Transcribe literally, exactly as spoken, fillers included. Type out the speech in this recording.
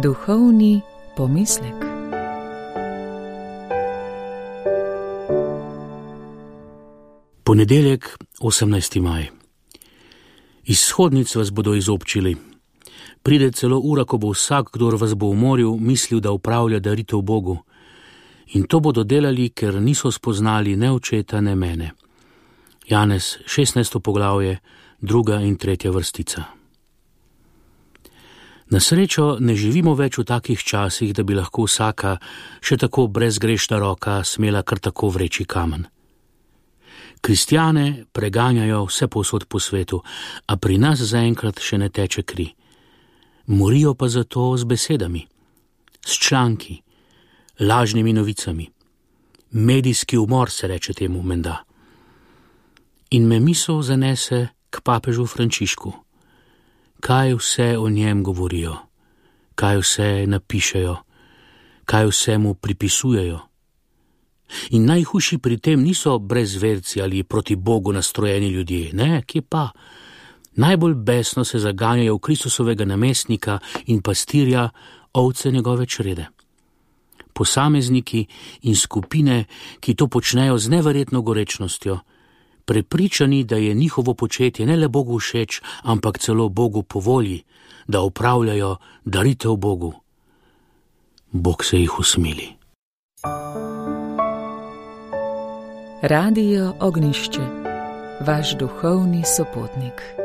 Duhovni pomislek. Ponedeljek, osemnajsti maj. Iz shodnic vas bodo izobčili. Pride celo ura, ko bo vsak, kdor vas bo umoril, mislil, da upravlja daritev Bogu. In to bodo delali, ker niso spoznali ne očeta, ne mene. Janez, šestnajsto poglavje, druga in tretja vrstica. Na srečo ne živimo več v takih časih, da bi lahko vsaka, še tako brezgrešna roka, smela kar tako vreči kamen. Kristjane preganjajo vse povsod po svetu, a pri nas zaenkrat še ne teče kri. Morijo pa zato z besedami, s članki, lažnimi novicami. Medijski umor se reče temu menda. In me misel zanese k papežu Frančišku. Kaj vse o njem govorijo, kaj vse napišejo, kaj vse mu pripisujejo. In najhujši pri tem niso brezverci ali proti Bogu nastrojeni ljudje, ne, kje pa. Najbolj besno se zaganjajo v Kristusovega namestnika in pastirja, ovce njegove črede. Posamezniki in skupine, ki to počnejo z neverjetno gorečnostjo, prepričani, da je njihovo početje ne le Bogu všeč, ampak celo Bogu po volji, da upravljajo daritev Bogu. Bog se jih usmili. Radio Ognjišče, vaš duhovni sopotnik.